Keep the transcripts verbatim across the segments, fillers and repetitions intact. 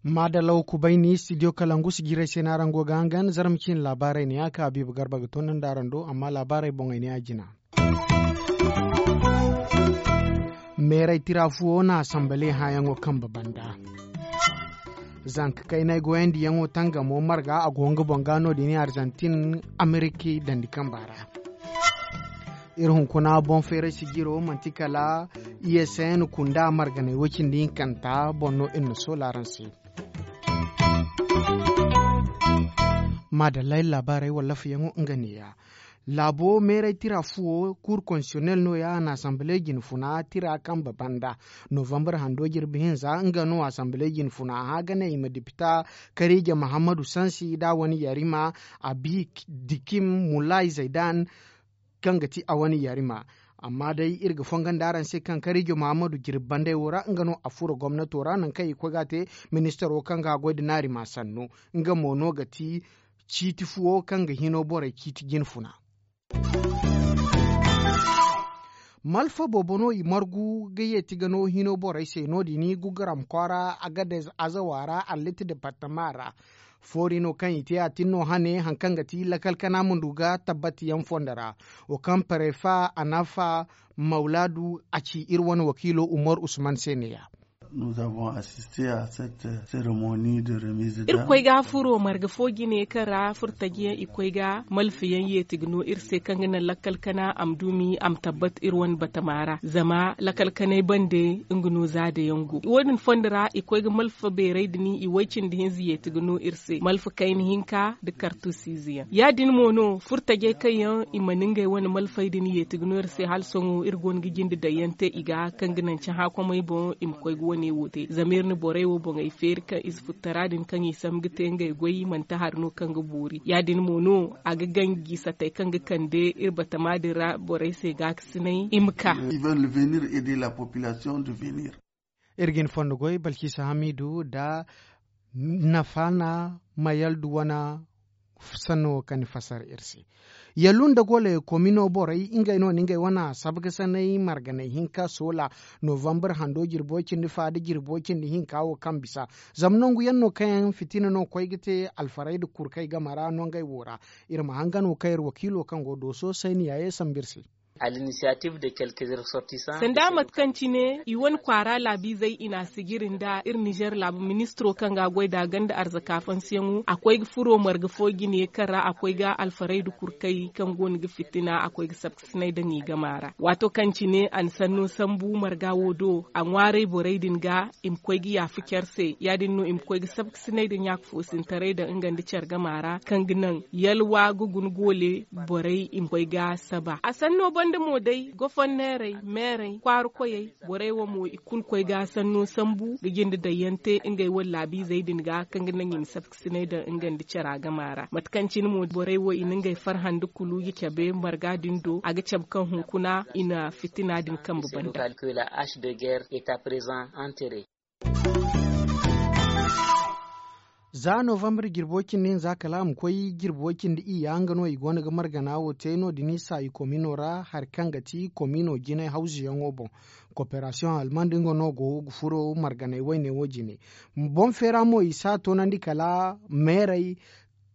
Maadalaw kubayni studio kalangu si jiray se no araŋ go ga hangan zarma ciine laabaarey ne ya ka habiiba garba ga toonandi araŋ do amma laabaarey boŋey ne ya jina. Meeray tira fuwo na asanbale hããyaŋo kambe banda. Zanka kaynay goyandiyaŋo tangamo marga a go nga boŋ ga no- din arzantin ameriki dandi kamba ra. Iri hunkuna boŋ feeray sijiro manti kala isn kunda marganay woy-cindi hinkanta boŋ no iri na soola araŋ se. Maadallay laabaarey wallafayaŋo nga neeya. Laabo meeray tira fuwo kuur konsiyonel nooya a na asanbale jinfuna tira kambe banda. Novambar hando jirbi hinza nga no asanbale jinfuna hã ga ne i ma dipita kariija mahammadu sansi nd'a wane yarima a bi dikim mulay zaydan kaŋ ga ti a wane yarima. Amma day iri ga fongo nda araŋ se kaŋ kariijo mahammadu jirbi bandey wo ra nga no a furo gomnato ra nangu kaŋ i ga koy ga a te. Ministaro kaŋ ga a goy nda naarima sannu nga mo no ga ti ciiti fuwo kaŋ ga hino borey ciiti jinfuna. Malfa boobo no i margu ga yeeti ga no hino borey se no- din gugaram kwaara agadez azawa ra allit departama ra. Foori no kaŋ i te a tin no hane hari kaŋ ga ti lakal kana ma du ga tabbati yaŋ fondo ra. Wo kaŋ parefa anafa mawlaadu a ci iri wane wakiilo umar usman se neeya. Iri koy ga furo marga fo jine kaŋ ra furtajiyaŋ i koy ga malfayaŋ yeeti ga no iri se kaŋ ga naŋ lakkal kana a ma dumi a ma tabbat iri wane batama ra zama lakal kanay bande nga no za da yaŋ go wo- din fondo ra i koy ga malfa beeray din i way cindi hinza yeeti ga no iri se malfa kayna hinka nda kartusiize yaŋ ya- din mo no furtajey kaŋ yaŋ i mana ngey wane malfey din yeeti ga no iri se hala sohõ iri go no ga jinde daŋ yaŋ te i ga kaŋ ga naŋ cahã komey boŋ i ma koy ga wane wo te zama iri na borey wo boŋey feeri kaŋ i si futtara din kaŋ i sambu ga te ngey goy manti hari no kaŋ ga boori ya- din mo no a ga ganji satey kaŋ ga kande iri batama din ra borey se gaakasinay i ma ka. Iri ga ni fondo goy balkisa hamidu nda nafana mayaldu wane sanno wo kaŋ ni fasar iri se. Yallu nda gole komino borey ngey no na ngey wane asabga sanay marganay hinka soola novambar hando jirbo cindi fa nda jirbo cindi hinka wo kaŋ bisa zama nangu yaŋ no kaŋ yaŋ fitina no koy ga te alfaray nda kurkay game ra no ngey wo ra. Iri ma hangan wo kaŋ iri wakiilo kaŋ go dooso sayni yaaye sambu iri se. Sanda mate kaŋ cine i wane kwaara laabiizey i na a sijiri nda iri nizer laabu ministiro kaŋ ga a goy nd'a ganda arzaka fansiyaŋo a koy ga furo marga fo jine kaŋ ra a koy ga alfaray nda kurkay kaŋ go no ga fitina a koy ga sabkasinay daŋ i gama ra waato kaŋ cine a na sanno sambu marga wo do a ŋwaaray borey din ga i ma koy ga yaafa care se ya- din no i ma koy ga sabkasinay nda ɲaaka foosintaray daŋ nga nda care gama ra kaŋ ga naŋ yalwa ga guna goole borey i ma koy ga saba a sanno banda mo day gofonneerey meerey kwaara koyey borey wo mo i kulu koy ga sanno sambu ga jinde daŋ yaŋ te ngey wane laabiizey din ga kaŋ ga naŋ i ma sabkasinay daŋ nga nda cara gama ra mate kaŋ cine mo borey wo i na ngey farhandi kulu ga cabe marga din do a ga cabe kaŋ hunkuna i na fitina din kambe banda. Za novambar jirbo cindi hinza kala a ma koy jirbo cindi iyya nga no i go no ga margana wo te no- din i saayi komino ra hari kaŋ ga ti komino jinay hawzuyaŋo boŋ. Koperasiyoŋ almand nga no go ga furo marganay wayne wo jine. Boŋ feera mo i si a toonandi kala meerey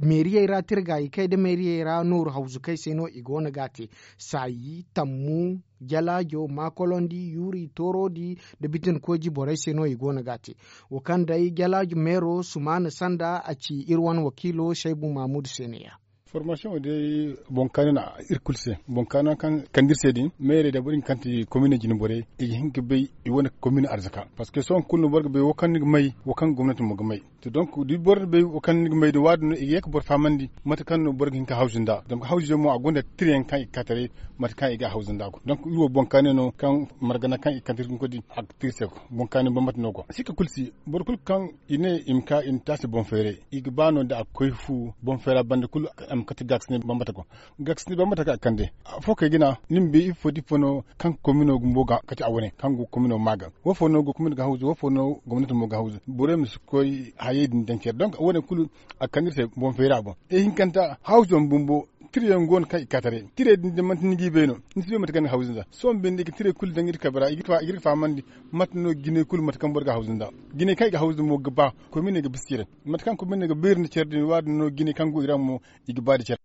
meeriyey ra tirga i kay nda meeriyey ra nooru hawzu kay se no i go no ga a te. Saayi tammu jalaajo maakolondi yuuri tooroodi nda bitin kooji borey se no i go no ga a te. Wo kaŋ day jalaajo meero sumaana sanda a ci iri wane wakiilo saybu maamudu se ne- ya. Formasiyoŋo day boŋ kaani no iri kulu se boŋ kaani no kaŋ kande iri se din meerey da boro din kaŋ ti komine jine borey i ga hin ga bay i wane komine arzaka parceque sohõ kulu no boro ga bay wo kaŋ ni ga may wo kaŋ gomnati mo ga may. To donk da boro bay wo kaŋ ni ga may din waadin no i ga ye ga boro fahamandi mate kaŋ no boro ga hin ga hawzu nd'a zama hawzuyaŋ mo a gonda tirayaŋ kaŋ i ga ka taray mate kaŋ i ga a hawzu nd'a go donk iri wo boŋ kaani no kaŋ margana kaŋ i ga kande iri ga ni koy din a ga te iri se boŋ kaani bambata no go a si ga kulu si boro kulu kaŋ i ne i ma ka i ma te a se boŋ feeray i ga ba no da a ga koy fu boŋ feera banda kulu a ma kate gaakasinay bambata go. Gaakasinay bambata kaŋ a ga kande afo kay ga ne ni ma bay ifo da ifo no kaŋ komino bumbo ga kate a wane kaŋ go komino ma ga wo fo no go komino ga hawzu wo fo no gomnati mo ga hawzu borey ma si koy. Ye din daŋ care donk wo- ne kulu a ga kande iri se boŋ feera boŋ. Ihinkanta hawzu yaŋ bumbo tira yaŋ go no kaŋ i ga ka taray tirey din da manti ni g'i bay no ni si bay mate kaŋ ni ga hawzu nd'a sohõ binde i ga tirey kulu daŋ iri kabe ra i ga iri ga fahamandi. Mate no jinay kulu mate kaŋ boro ga hawzu nd'a jinay kaŋ i ga hawzu mo ga ba koy ma ne ga bisa care mate kaŋ koy ma ne ga beeri nda care din waadin no jinay kaŋ go i ra mo i ga ba nda care.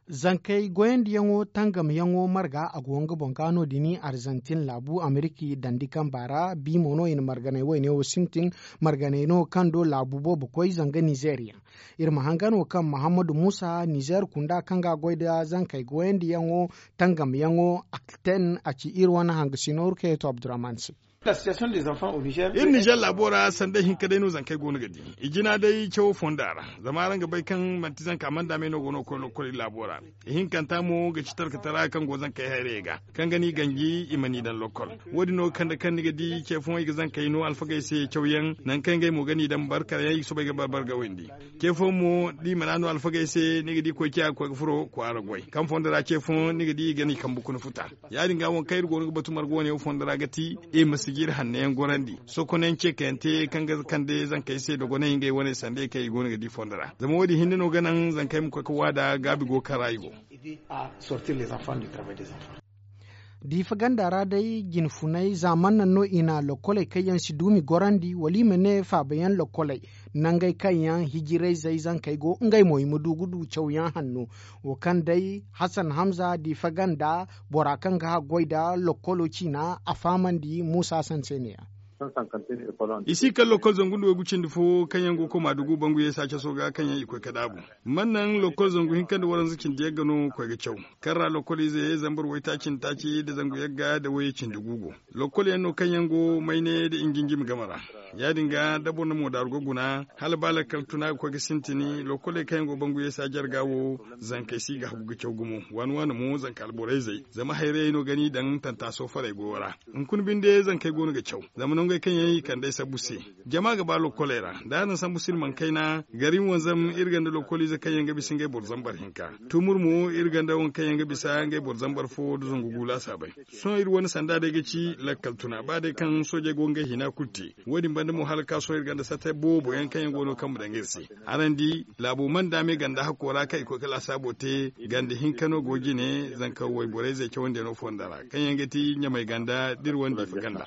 Zankey goyandiyaŋo tangamyaŋo marga a go nga boŋ ga no- din arzantin laabu ameriki dandi kamba ra bi mo no i na marganey woyne wo sintin. Marganey no kaŋ do laabu boobo koy zanga nizeeriya. Iri ma hanga no kaŋ muhammadu muusa nizeer kunda kaŋ ga a goy nda zankey goyandiyaŋo tangamyaŋo akten a ci iri wane hangasino rukayatu abdurrahman se. Iri nizeer laabo ra sanda ihinka day no zankey go no ga di. I jina day cawo fonda ra zama araŋ ga bay kaŋ manti zanka manda me no go no ga koy lokkol iri laabo ra. Ihinkanta mo ga ci talkatara kaŋ go zankey hayrayey ga kaŋ ga ni ganji i ma ni daŋ lokkol. Wo- din no ga kande kaŋ ni ga di ce fooyaŋ i ga zankey no alfagey se cawyaŋ nangu kaŋ ngey mo ga ni daŋ barkarayaŋ i ga soobay ga barbar ga windi. Ce fooyaŋ mo da i mana no alfagey se ni ga di koy ciya ga koy ga furo kwaara goy kaŋ fondo ra ce fooyaŋ ni ga di i ga ni kambe kuna futa. Ya- din ga waŋ kaŋ iri go no ga batu marga wane wo fondo ra ga ti i ma si ga iri hanno yaŋ gorandi sokonayaŋ ce kaŋ yaŋ te kaŋ ga kande zankey se dogonay ngey wane sanda ye kaŋ i go no ga di fondo ra zama wo- din hinne no ga naŋ zankey ma koy ga waada gaabi go kaŋ ra i go. Diifa ganda ra day jinfunay za man naŋ no i na lokkoley kaŋ yaŋ si duumi gorandi wala i ma ne faabayaŋ lokkoley nangey kaŋ yaŋ hijirayzey zankey go ngey mo i ma du ga du cawyaŋ hanno. Wo kaŋ day hasan hamza diifa ganda bora kaŋ ga haggoy nda lokkolo ciina a fahamandi muusa sanseene yaŋ. I si kala lokkol zangu nda waygu cindi fo kaŋ yaŋ go ga koy maadugu bangu yeesa caso ga kaŋ yaŋ i koy ga daabu. Man naŋ lokkol zangu hinka nda waranza cindi yagga no koy ga caw kaŋ ra lokkol ize zambar waytaaci nda taaci nda zangu yagga nda wayye cindi gu go. Lokkol yaŋ no kaŋ yaŋ go mayne nda injinjimi game ra. Ya- din ga da boro na moodaru ga guna hala ba lakkal tuna ga koy ga sintin. Lokkoley kaŋ yaŋ go bangu yeesa jarga wo zankey si ga hagu ga caw gumo waani waani mo zanka alborayzey zama hayrayey no ga ni daŋ tantaaso farey goyo ra. Hunkuna binde zankey go no ga caw zama nangey kaŋ yaŋ i kand'ey sabbu se. Jama ga ba lokkoley ra da araŋ sambu silmaŋ kayna gari wanzam iri ganda lokkoliize kaŋ yaŋ ga bisa ngey boro zambar hinka. Tumur mo iri ganda waŋ kaŋ yaŋ ga bisa ngey boro zambar fo nda zangu gu laasaabey. Sohõ iri wane sanda day ga ci lakkal tuna ba day kaŋ soojey go ga ngey hina kulu te. Wo- din banda mo hala ga ka sohõ iri ganda sate boobo yaŋ kaŋ yaŋ go no kaŋ ma daŋ iri se. Araŋ di laabo mana daame ganda hakko ra kaŋ i koy ga laasaabo te ganda hinka no go jine zanka wayborayzey cawandiyaŋo fonda ra kaŋ yaŋ ga ti ɲamay ganda da iri wane diifa ganda.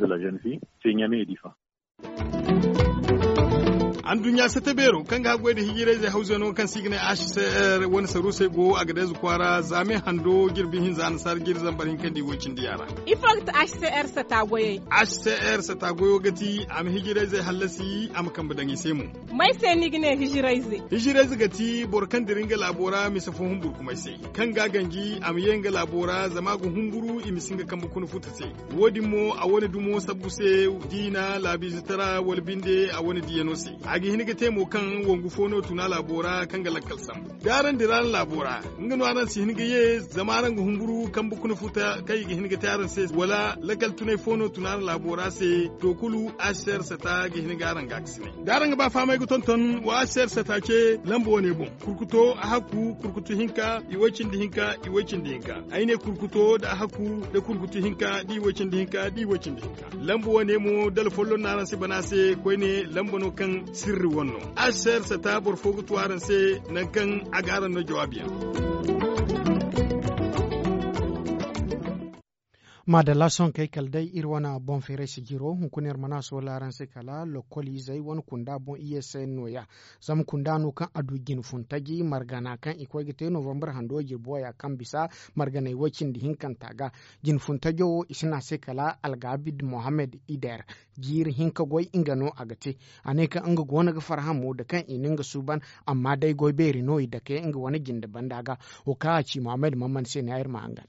Anduɲɲa sate beero kaŋ ga haggoy nda hijirayzey hawzano kaŋ se i ga ne h c r wane saruusey go agadez kwaara za me hando jirbi hinza nasaara jiri zambar hinka nda i woy cindi yaŋ ra. Ifo ga ti h c r sata goyey? H c r sata goyo ga ti a ma hijirayzey hallasi a ma kambe daŋ i se mo. May se ni ga ne hijirayze? Hijirayze ga ti boro kaŋ dira nga laabo ra mise fo humburkumay se kaŋ ga a ganji a ma ye nga laabo ra zama a ga humburu i ma si nga kambe kuna futa se. Wo- din mo a wane dumo sabbu se diina laabiize tara wala binde a wane diyano se. A ga hin ga te mo kaŋ wangu fo no tuna laabo ra kaŋ ga lakkal sambu da araŋ dira araŋ laabo ra. Nga no araŋ si hin ga ye zama araŋ ga humburu kambe kuna futa kaŋ i ga hin ga te araŋ se wala lakkal tunay fo no tuna araŋ laabo ra se. To kulu asser sata ga hin ga araŋ ga a ga si ne da araŋ ga ba fahamay ga tonton wa asser sata ce lamba wane boŋ. Kurkuto a hakku kurkutu hinka i way cindi hinka i way cindi hinka. Ay ne kurkuto da a hakku da kurkutu hinka da i way cindi hinka da i way cindi hinka. Lamba wane mo dala folloŋ no araŋ si bana se koyne lamba no kaŋ sirri wane no. Asser sata boro fo ga tu araŋ se nangu kaŋ a ga araŋ no jawaabi yaŋ. Maadalla sohõ kay kala day iri wane boŋ feeray sijiro hunkuna iri mana soola araŋ se kala lokkol izey wane kunda boŋ i ye se nooya. Zama kunda no kaŋ a du jine funtaji margana kaŋ i koy ga te novambar hando jirbi waya kaŋ bisa marganey way cindi hinkanta ga. Jine funtajo wo i si ne a se kala algabid mohammed ider. Jiiri hinka goy nga no a ga te. A ne kaŋ nga goono ga farhã mo da kaŋ i na nga suuban. Amma day goy beeri no i dake nga wane jinde banda ga. Wo kaŋ a ci mohammed mamman se ne ay iri ma hangan.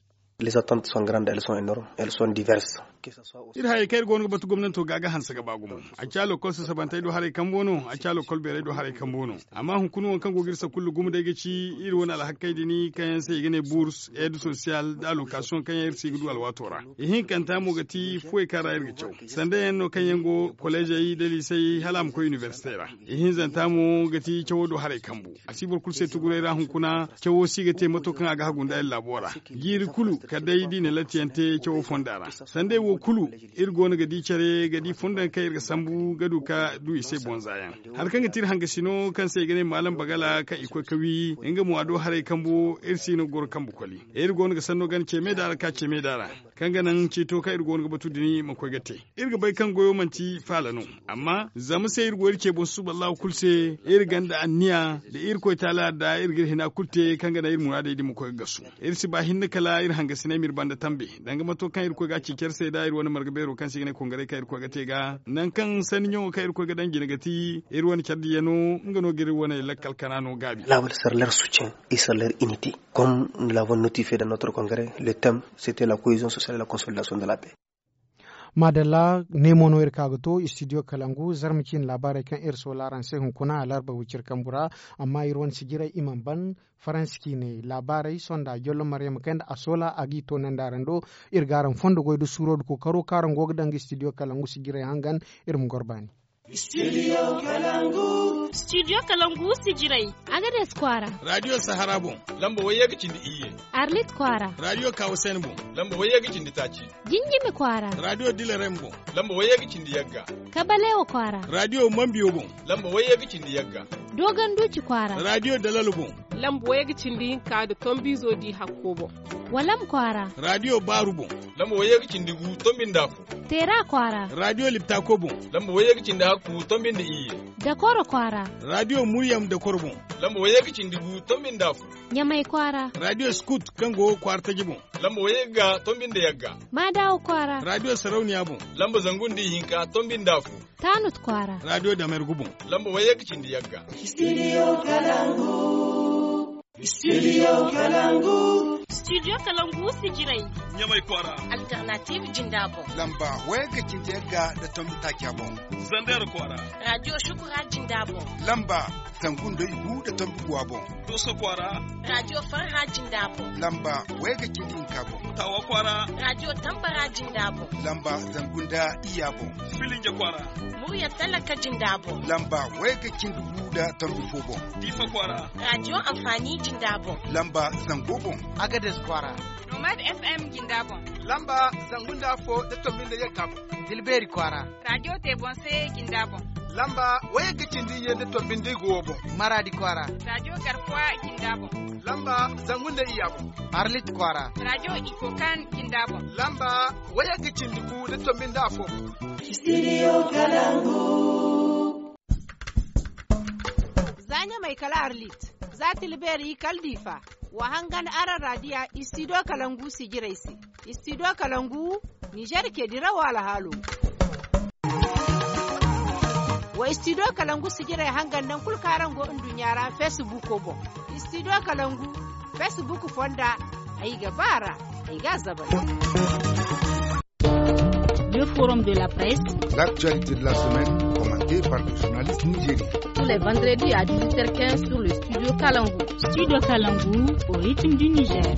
Iri hayey kaŋ iri goono ga batu gomnanto ga ga hanse ga ba gumo. A ci a lokol sasabantey do haray kambo no a ci a lokol beerey do haray kambo no. Amma hunkuna waŋ kaŋ go ga iri sakulla gumo day ga ci iri wane alhakkey din kaŋ yaŋ se i ga ne burs aide social da alokasiyoŋ kaŋ yaŋ iri si ga du alwaato ra. Ihinkanta mo ga ti fuwey kaŋ ra iri ga caw sanda yaŋ no kaŋ yaŋ go kolleezey da liisey hala a ma koy inibersite ra. Ihinzanta mo ga ti cawo do haray kambu. A si boro kulu se tuguray ra hunkuna cawo si ga te mato kaŋ a ga hagu nda ay laabo ra. Jiiri kulu kala day da i na lattiyaŋ te cawo fonda ra. Sandey wo kulu, iri go no ga di care ga di fondo yaŋ kaŋ iri ga sambu ga du ka du i se bonza yaŋ. Hari kaŋ ga ti iri hangasino kaŋ se i ga ne maalam bagala kaŋ i koy ka wi, nga mo a do haray kambo iri si no ga goro kambe koli. Iri go no ga sanno gana ce me da ra ka ce me da ra, kaŋ ga naŋ ciito kaŋ iri go no ga batu din ma koy ga te. Iri ga bay kaŋ goyo manti faala no, amma zama se iri go iri ce boŋ susuballahu kulu se. Iri gonda anniya da irkoy taala da iri ga iri hina kulu te kaŋ ga naŋ iri muraadey din ma koy ga gasu. Iri si ba hinne kala iri hangasiney ma iri banda tambe, danga mato kaŋ iri koy ga a ci care se da iri wane marga beero kaŋ se i ga ne kongaray kaŋ iri koy ga te ga nangu kaŋ sanni ɲaŋo kaŋ iri koy ga daŋ jina ga ti iri wane care diya no. Nga no ga iri wane lakkal kana no gaabi. Laabal sarler succen et sarler inite, comme nous l'avons notifié dans notre congrès, le thème, c'était la cohésion sociale et la consolidation de la paix. Maadalla, ne mo no iri ka ga to studio kalangu zarma ciine laabaarey kaŋ iri soola araŋ se hunkuna alarba wiciri kambu ra. Amma iri wane sijirey i mana ban faransi ciine laabaarey sonda jollo maryama kay nda a soola a g'i toonandi araŋ do. Iri ga araŋ fondo goy da suuro da kookaro kaŋ araŋ go ga daŋ ga studio kalangu sijirey hangan. Iri ma goro baani. Studio kalangu sijirey, agades kwaara. Radiyo sahara boŋ, lamba wayye ga cindi iyye. Arlit kwaara. Radiyo kawasen boŋ, lamba wayye ga cindi taaci. Jinjimi kwaara. Radiyo dilarem boŋ, lamba wayye ga cindi yagga. Kabalewa kwaara. Radiyo mambiyo boŋ, lamba wayye ga cindi yagga. Dogon duci kwaara. Radiyo dalalo boŋ, lamba wayye ga cindi hinka da tombizo di hakko boŋ. Walam kwaara. Radiyo baaru boŋ, lamba wayye ga cindi gu tombi nda afo. Teera kwaara. Radiyo liptako boŋ, lamba wayye ga cindi hakku tombi nda iyye. Dakoro kwaara. Radiyo muryam dakoro boŋ, lamba wayye ga cindi gu tombi nda afo. Ɲamay kwaara. Radiyo skut kaŋ go kwaara taji boŋ, lamba wayye ga tombi nda yagga. Maadawa kwaara. Radiyo sarauniya boŋ, lamba zangu nda ihinka tombi nda afo. Taanut kwaara. Radiyo damergu boŋ, lamba wayye ga cindi yagga. Studio kalangu. Studio kalangu. Studio kalangu sijirey. Ɲamay kwaara. Alternative jinda boŋ, lamba wayye ga cindi yagga da tombi taaca boŋ. Zander kwaara. Radiyo shukura jinda boŋ, lamba zangu nda igu da tombi guwa boŋ. Doso kwaara. Radiyo farha jinda boŋ, lamba wayye ga cindi hinka boŋ. Tawa kwaara. Radiyo tambara jinda boŋ, lamba zangu nda iyya boŋ. Filinja kwaara. Murya talaka jinda boŋ, lamba wayye ga cindi gu da tombi fo boŋ. Difa kwaara. Radiyo amfani jinda boŋ, lamba zango boŋ. Agades kwaara. Nomad FM jinda boŋ, lamba zangu nda afo da tombi nda yagga boŋ. Dilbeeri kwaara. Radiyo te boŋ se jinda boŋ, lamba wayye ga cindi iyye nda tombi nda igu wo boŋ. Maradi kwaara. Radiyo garkuwa jinda boŋ, lamba zangu nda iyya boŋ. Arlit kwaara. Radiyo ikokan jinda boŋ, lamba wayye ga cindi gu nda tombi nda afo boŋ. Studio kalangu. Za ɲamay kala arlit, za tilbeeri kala difa. Wa hangan araŋ radiya studio kalangu sijirey se. Studio kalangu, nizer ke dirawo alhaalo. Wa studio kalangu sijirey hangan naŋ kulu kaŋ araŋ go nduɲɲa ra facebook boŋ. Studio kalangu, facebook fonda, ay ga ba ra, ay ga a zabay. Le forum de la presse. L'actualité de la semaine, commentée par les journalistes nigériens. Tous les vendredis à dix-huit heures quinze sur le studio Kalangu. Studio Kalangu, au rythme du Niger.